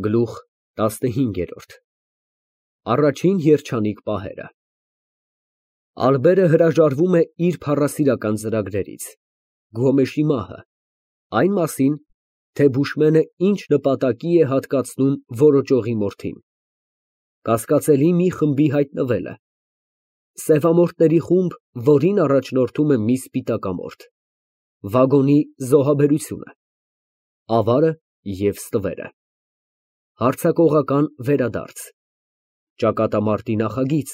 Գլուխ 15 Առաջին երջանիկ պահերը Ալբերը հրաժարվում է իր փառասիրական ծրագրերից, Գոմեշի մահը, այն մասին, թե Բուշմենը ինչ նպատակի է հատկացնում որոճողի մորթին, կասկածելի մի խմբի հայտնվելը, սևամորթների խումբ, որին առաջնորդում է մի սպիտակամորթ, վագոնի զոհաբերությունը, ավարը և ստվերը, հարձակողական վերադարձ, ճակատամարտի նախագիծ,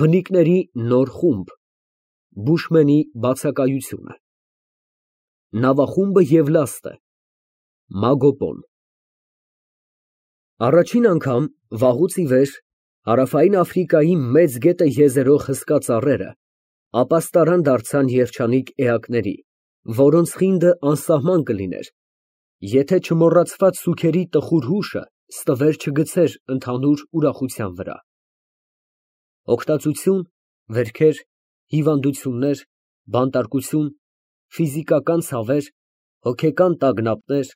բնիկների նոր խումբ, Բուշմենի բացակայությունը, նավախումբը և լաստը, Մագոպոն Առաջին անգամ վաղուց ի վեր Հարավային Աֆրիկայի մեծ գետը եզերող հսկա ծառերը ապաստարան դարձան երջանիկ էակների, որոնց խինդը անսահման կլիներ, եթե չմոռացված սուգերի տխուր հուշը ստվեր չգցեր ընդհանուր ուրախության վրա։ Հոգտածություն, վերքեր, հիվանդություններ, բանտարկություն, ֆիզիկական ցավեր, հոգեկան տագնապներ,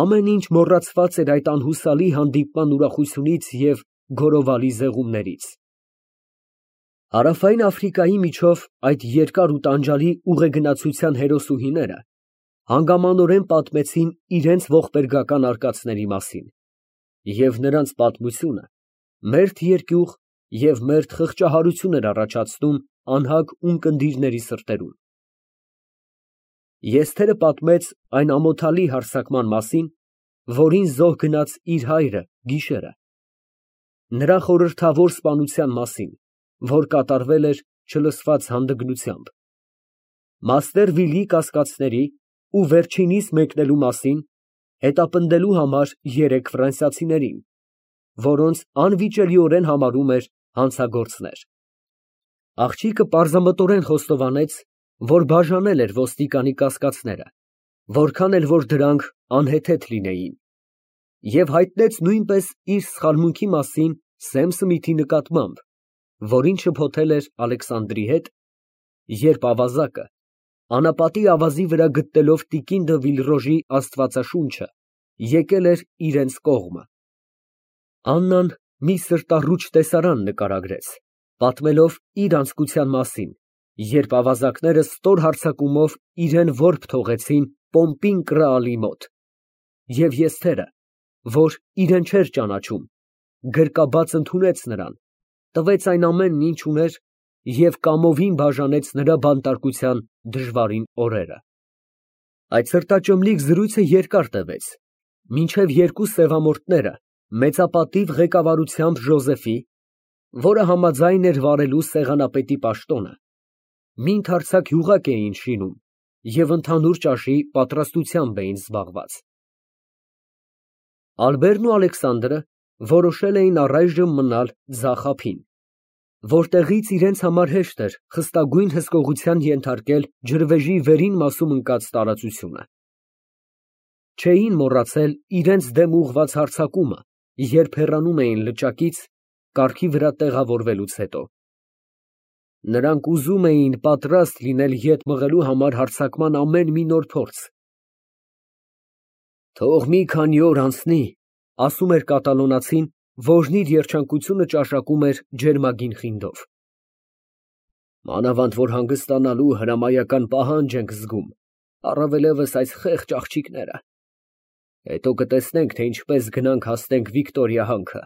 ամեն ինչ մոռացված էր այդ անհուսալի հանդիպման ուրախությունից և գորովալի զեղումներից։ Հարավային Աֆրիկայի միջով այդ երկար ու տանջալի ուղեգնացության հերոսուհիները հանգամանորեն պատմեցին իրենց ողբերգական արկածների մասին, և նրանց պատմությունը մերթ երկյուղ և մերթ խղճահարություն էր առաջացնում անհագ ունկնդիրների սրտերում։ Եսթերը պատմեց այն ամոթալի հարձակման մասին, որին զոհ գնաց իր հայրը գիշերը, նրա խորհրդավոր սպանության մասին, որ կատարվել էր չլսված հանդգնությամբ, մաստեր Վիլի կասկածների ու վերջինիս մեկնելու մասին, հետապնդելու համար 3 ֆրանսիացիներին, որոնց անվիճելիորեն համարում էր հանցագործներ։ Աղջիկը պարզամտորեն խոստովանեց, որ բաժանել էր ոստիկանի կասկածները, որքան էլ որ դրանք անհեթեթ լինեին, և հայտնեց նույնպես իր սխալմունքի մասին Սեմ Սմիթի նկատմամբ, որին շփոթել էր Ալեքսանդրի հետ, երբ ավազակը, անապատի ավազի վրա գտնելով տիկին դը Վիլրոժի աստվածաշունչը, եկել էր իրենց կողմը։ Աննան մի սրտառուչ տեսարան նկարագրեց, պատմելով իր անձկության մասին, երբ ավազակները ստոր հարձակումով իրեն որբ թողեցին Պոմպին Կրաալի մոտ, և Եսթերը, որ իրեն չէր ճանաչում, գրկաբաց ընդունեց նրան, տվեց այն ամենն, ինչ ուներ, և կամովին բաժանեց նրա բանտարկության դժվարին օրերը։ Այդ սրտաճմլիկ զրույցը երկար տևեց, մինչև 2 սևամորթները մեծապատիվ ղեկավարությամբ Ժոզեֆի, որը համաձայն էր վարելու սեղանապետի պաշտոնը, մի ընդարձակ յուղակ էին շինում և ընդհանուր ճաշի պատրաստությամբ էին զբաղված։ Ալբերն ու Ալեքսանդրը որոշել էին առայժմ մնալ ձախ ափին, որտեղից իրենց համար հեշտ էր խստագույն հսկողության ենթարկել ջրվեժի վերին մասում ընկած տարածությունը։ Չէին մոռացել իրենց դեմ ուղղված հարձակումը, երբ հեռանում էին լճակից, կառքի վրա տեղավորվելուց հետո։ Նրանք ուզում էին պատրաստ լինել ետ մղելու համար հարձակման ամեն մի նոր փորձ։ «Թող մի քանի օր անցնի», ֊ ասում էր կատալոնացին, որն իր երջանկությունը ճաշակում էր ջերմագին խինդով։ «Մանավանդ որ հանգստանալու հրամայական պահանջ ենք զգում, առավելևս այս խեղճ աղջիկները։ Հետո կտեսնենք, թե ինչպես գնանք հասնենք Վիկտորիա հանքը։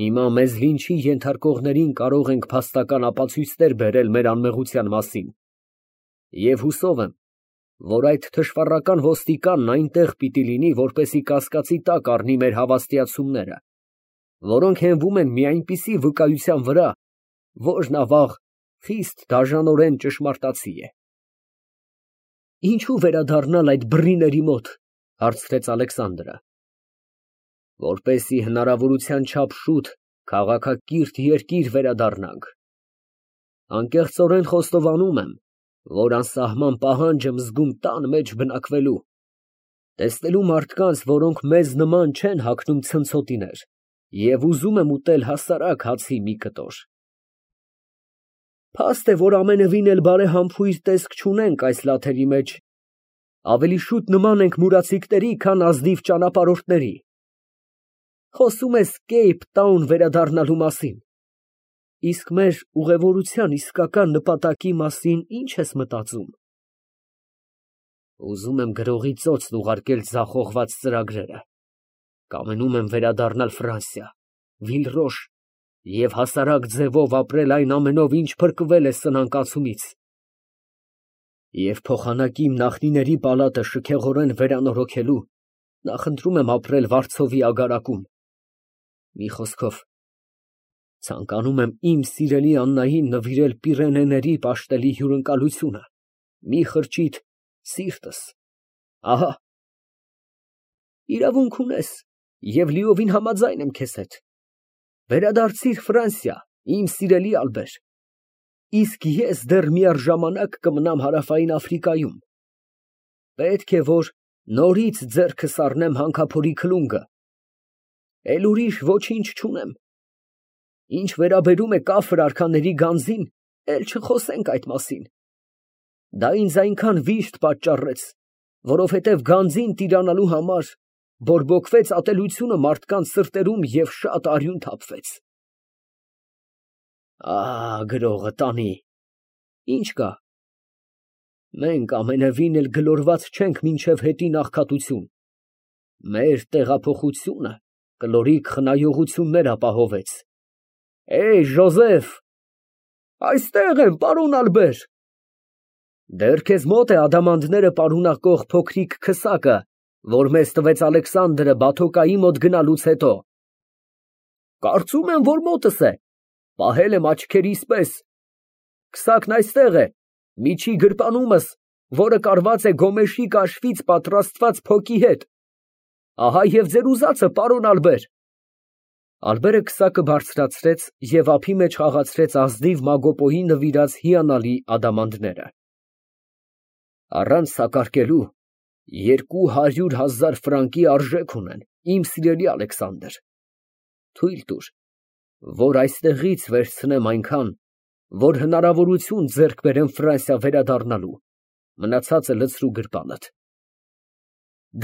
Հիմա մեզ լինչի ենթարկողներին կարող ենք փաստական ապացույցներ բերել մեր անմեղության մասին, և հուսով եմ, որ այդ թշվառական ոստիկանն այնտեղ պիտի լինի, որպեսզի կասկածի տակ առնի մեր հավաստիացումները, որոնք հենվում են մի այնպիսի վկայության վրա, որն, ավաղ, խիստ դաժանորեն ճշմարտացի է»։ «Ինչո՞ւ վերադառնալ այդ բռիների մոտ», ֊ հարցրեց Ալեքսանդրը։ «Որպեսզի հնարավորության չափ շուտ քաղաքակիրթ երկիր վերադառնանք։ Անկեղծորեն խոստովանում եմ, որ անսահման պահանջ եմ զգում տան մեջ բնակվելու, տեսնելու մարդկանց, որոնք մեզ նման չեն հագնում ցնցոտիներ, և ուզում եմ ուտել հասարակ հացի մի կտոր։ Փաստ է, որ ամենևին էլ բարեհամբույր տեսք չունենք այս լաթերի մեջ, Ավելի շուտ նման ենք մուրացիկների, քան ազնիվ ճանապարհորդների։ Խոսում ես Կեյփ Տաուն վերադառնալու մասին, իսկ մեր ուղևորության իսկական նպատակի մասին ի՞նչ ես մտածում։ Ուզում եմ գրողի ծոցն ուղարկել ձախողված ծրագրերը, կամենում եմ վերադառնալ Ֆրանսիա, Վիլռոշ և հասարակ ձևով ապրել այն ամենով, ինչ փրկվել է սնանկացումից, և փոխանակի իմ նախնիների պալատը շքեղորեն վերանորոգելու, նախընտրում եմ ապրել վարձովի ագարակում։ Մի խոսքով, ցանկանում եմ իմ սիրելի Աննային նվիրել Պիրենեների պաշտելի հյուրընկալությունը, մի խրճիթ սիրտս, ահա։ Իրավունք ունես և լիովին համաձայն եմ քեզ հետ։ Վերադարձիր Ֆրանսիա, իմ սիրելի Ալբեր, իսկ ես դեռ միառժամանակ կմնամ Հարավային Աֆրիկայում։ Պետք է, որ նորից ձեռքս առնեմ հանքափորի քլունգը, էլ ուրիշ ոչինչ չունեմ։ Ինչ վերաբերում է կաֆր արքաների գանձին, էլ չխոսենք այդ մասին։ Դա ինձ այնքան վիշտ պատճառեց, որովհետև գանձին տիրանալու համար բորբոքվեց ատելությունը մարդկանց սրտերում և շատ արյուն թափվեց։ Գրողը տանի, ինչ կա։ Մենք ամենևին էլ գլորված չենք մինչև հետին աղքատություն։ Մեր տեղափոխությունը կլորիկ խնայողություններ ապահովեց։ Ժոզեֆ։ Այստեղ եմ, պարոն Ալբեր։ Դեռ քեզ մոտ է ադամանդները պարունակող փոքրիկ քսակը, որ մեզ տվեց Ալեքսանդրը Բաթոկայի մոտ գնալուց հետո։ Կարծում եմ, որ մոտս է, պահել եմ աչքերիս պես։ Քսակն այստեղ է, միջի գրպանումս, որը կարված է գոմեշի կաշվից պատրաստված փոկի հետ։ Ահա և ձեր ուզածը, պարոն Ալբեր։ Ալբերը քսակը բարձրացրեց և ափի մեջ խաղացրեց ազնիվ Մագոպոյի նվիրած հիանալի ադամանդները։ Առանց սակարկելու 200,000 ֆրանկի արժեք ունեն, իմ սիրելի Ալեքսանդր։ Թույլ տուր, որ այստեղից վերցնեմ այնքան, որ հնարավորություն ձեռք բերեմ Ֆրանսիա վերադառնալու, մնացածը լցրու գրպանդ։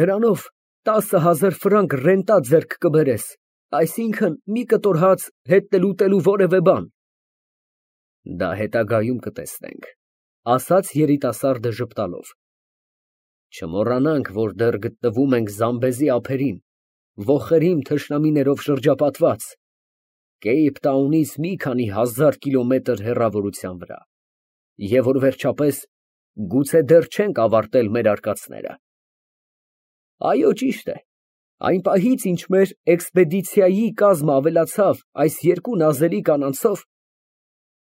Դրանով 10,000 ֆրանկ ռենտա ձեռք կբերես, այսինքն մի կտոր հաց, հետ ուտելու որևէ բան։ Դա հետագայում կտեսնենք, ասաց երիտասարդը ժպտալով։ Չմոռանանք, որ դեռ գտնվում ենք Զամբեզի ափերին, ոխերիմ թշնամիներով շրջապատված, Կեյփ Տաունից մի քանի հազար կիլոմետր հեռավորության վրա, և որ վերջապես գուցե դեռ չենք ավարտել մեր արկածները։ Այո, ճիշտ է, այն պահից, ինչ մեր էքսպեդիցիայի կազմը ավելացավ այս երկու նազելի կանանցով,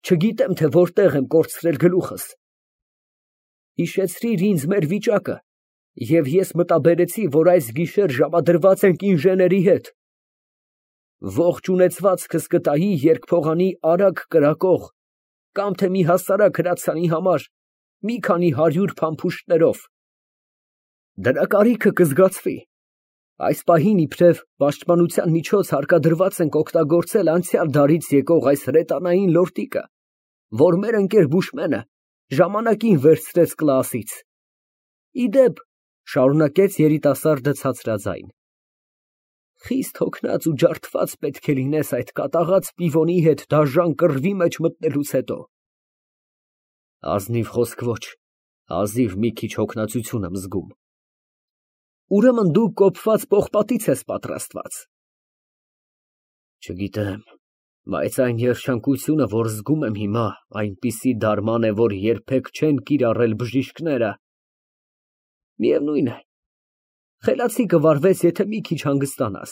չգիտեմ, թե որտեղ եմ կորցրել գլուխս։ Հիշեցրիր ինձ մեր վիճակը, և ես մտաբերեցի, որ այս գիշեր ժամադրված ենք ինժեների հետ։ Ողջ ունեցվածքս կտայի երկփողանի արագ կրակող կամ թե մի հասարակ հրացանի համար մի քանի 100 փամփուշտներով։ Դրա կարիքը կզգացվի։ Այս պահին իբրև պաշտպանության միջոց հարկադրված ենք օգտագործել անցյալ դարից եկող այս հրետանային լորտիկը, որ մեր ընկեր Բուշմենը ժամանակին վերցրեց Կլաասից։ Ի դեպ, շարունակեց երիտասարդը ցածրաձայն, խիստ հոգնած ու ջարդված պետք է լինես այդ կատաղած պիվոնի հետ դաժան կռվի մեջ մտնելուց հետո։ Ազնիվ խոսք ոչ, հազիվ մի քիչ հոգնածություն եմ զգում։ Ուրեմն դու կոփված պողպատից ես պատրաստված։ Չգիտեմ, բայց այն երջանկությունը, որ զգում եմ հիմա, այնպիսի դարման է, որ երբեք չեն կիրառել բժիշկները։ Միևնույն է, խելացի կվարվես, եթե մի քիչ հանգստանաս,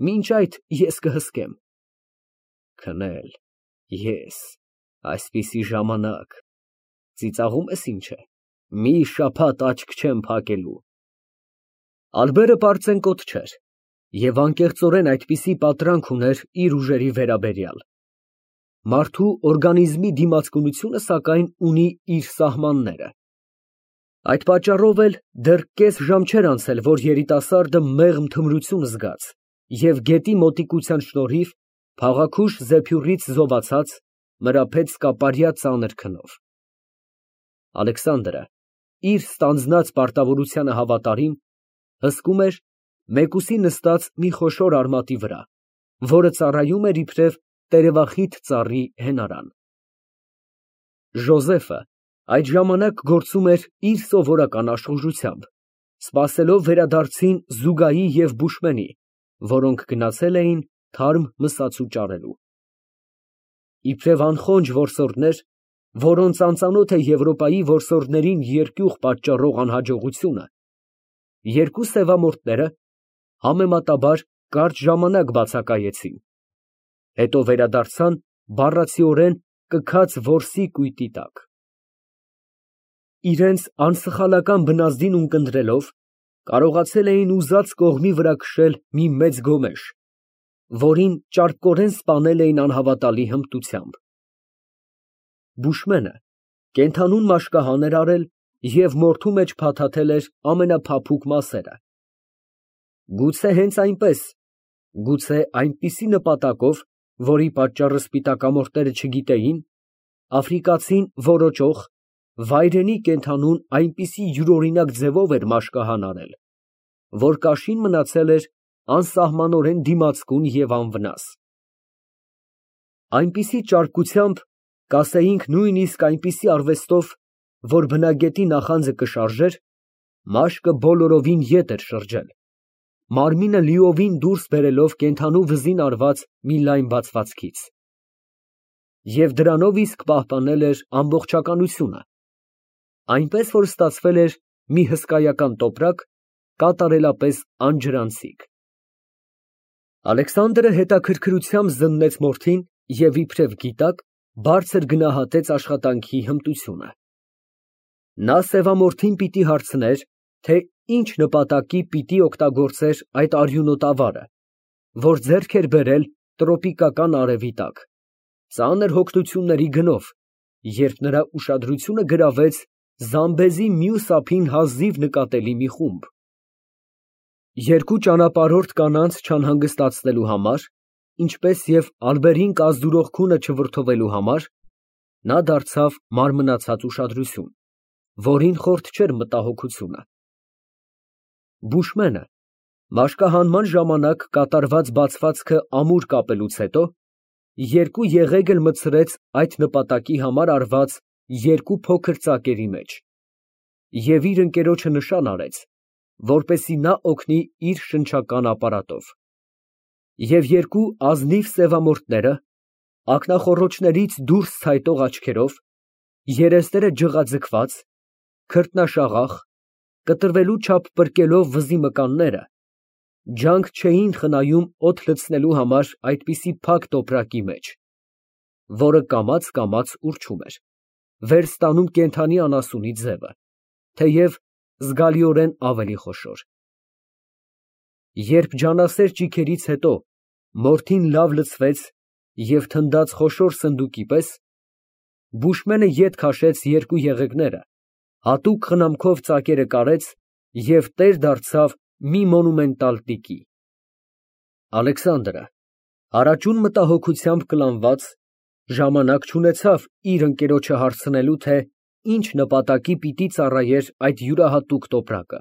մինչ այդ ես կհսկեմ։ Քնել, ես, այսպիսի ժամանակ, ծիծաղում ես ինչ է, մի շաբաթ աչք չեմ փակելու։ Ալբերը պարծենկոտ չէր և անկեղծորեն այդպիսի պատրանք ուներ իր ուժերի վերաբերյալ։ Մարդու օրգանիզմի դիմացկունությունը, սակայն, ունի իր սահմանները։ Այդ պատճառով էլ դեռ կես ժամ չէր անցել, որ երիտասարդը մեղմ թմրություն զգաց և գետի մոտիկության շնորհիվ փաղաքուշ զեփյուռից զովացած մրափեց սկապարյա ծանր քնով։ Ալեքսանդրը իր ստանձնած պարտավորությանը հավատարիմ, հսկում էր մեկուսի նստած մի խոշոր արմատի վրա, որը ծառայում էր իբրև տերևախիտ ծառի հենարան։ Ժոզեֆը այդ ժամանակ գործում էր իր սովորական աշխուժությամբ, սպասելով վերադարձին Զուգայի և Բուշմենի, որոնք գնացել էին թարմ մսացու ճարելու։ Իբրև անխոնջ որսորդներ, որոնց անծանոթ է Եվրոպայի որսորդներին երկյուղ պատճառող անհաջողությունը, երկու սևամորթները համեմատաբար կարճ ժամանակ բացակայեցին, հետո վերադարձան բառացիորեն կքած որսի կույտի տակ։ Իրենց անսխալական բնազդին ունկնդրելով, կարողացել էին ուզած կողմի վրա քշել մի մեծ գոմեշ, որին ճարպկորեն սպանել էին անհավատալի հմտությամբ։ Բուշմենը կենդանուն մաշկահան էր արել և մորթու մեջ փաթաթել էր ամենափափուկ մասերը։ Գուցե հենց այնպես, գուցե այնպիսի նպատակով, որի պատճառը սպիտակամորթները չգիտեին, աֆրիկացին որոճող, վայրենի կենդանուն այնպիսի յուրօրինակ ձևով էր մաշկահան արել, որ կաշին մնացել էր անսահմանորեն դիմացկուն և անվնաս։ Այնպիսի ճարպկությամբ, կասեինք նույնիսկ այնպիսի արվեստով, որ բնագետի նախանձը կշարժեր, մաշկը բոլորովին ետ էր շրջել, մարմինը լիովին դուրս բերելով կենդանու վզին արված մի լայն բացվածքից։ Եվ դրանով իսկ պահպանել էր ամբողջականությունը, այնպես որ ստացվել էր մի հսկայական տոպրակ, կատարելապես անջրանցիկ։ Ալեքսանդրը հետաքրքրությամբ զննեց մորթին և իբրև գիտակ բարձր գնահատեց աշխատանքի հմտությունը։ Նա սևամորթին պիտի հարցներ, թե ինչ նպատակի պիտի օգտագործեր այդ արյունոտ ավարը, որ ձեռք էր բերել տրոպիկական արևի տակ, ծանր հոգնությունների գնով, երբ նրա ուշադրությունը գրավեց Զամբեզի մյուս ափին հազիվ նկատելի մի խումբ։ Երկու ճանապարհորդ կանանց չանհանգստացնելու համար, ինչպես և ալբերին կազդուրող քունը չվրդովելու համար, նա դարձավ մարմնացած ուշադրություն, որին խորթ չէր մտահոգությունը։ Բուշմենը մաշկահանման ժամանակ կատարված բացվածքը ամուր կապելուց հետո երկու եղեգ էլ մտցրեց այդ նպատակի համար արված երկու փոքր ծակերի մեջ և իր ընկերոջը նշան արեց, որպեսզի նա օգնի իր շնչական ապարատով։ Եվ երկու ազնիվ սևամորթները, ակնախոռոչներից դուրս ցայտող աչքերով, երեսները ջղաձգված, քրտնաշաղախ, կտրվելու չափ պրկելով վզի մկանները, ջանք չէին խնայում օդ լցնելու համար այդպիսի փակ տոպրակի մեջ, որը կամաց ուռչում էր, վերստանում կենդանի անասունի ձևը, թեև զգալիորեն ավելի խոշոր։ Երբ ջանասեր ճիգերից հետո մորթին լավ լցվեց և թնդաց խոշոր սնդուկի պես, Բուշմենը ետ քաշեց երկու եղեգները, հատուկ խնամքով ծակերը կարեց և տեր դարձավ մի մոնումենտալ տիկի։ Ալեքսանդրը, հարաճուն մտահոգությամբ կլանված, ժամանակ չունեցավ իր ընկերոջը հարցնելու, թե ինչ նպատակի պիտի ծառայեր այդ յուրահատուկ տոպրակը։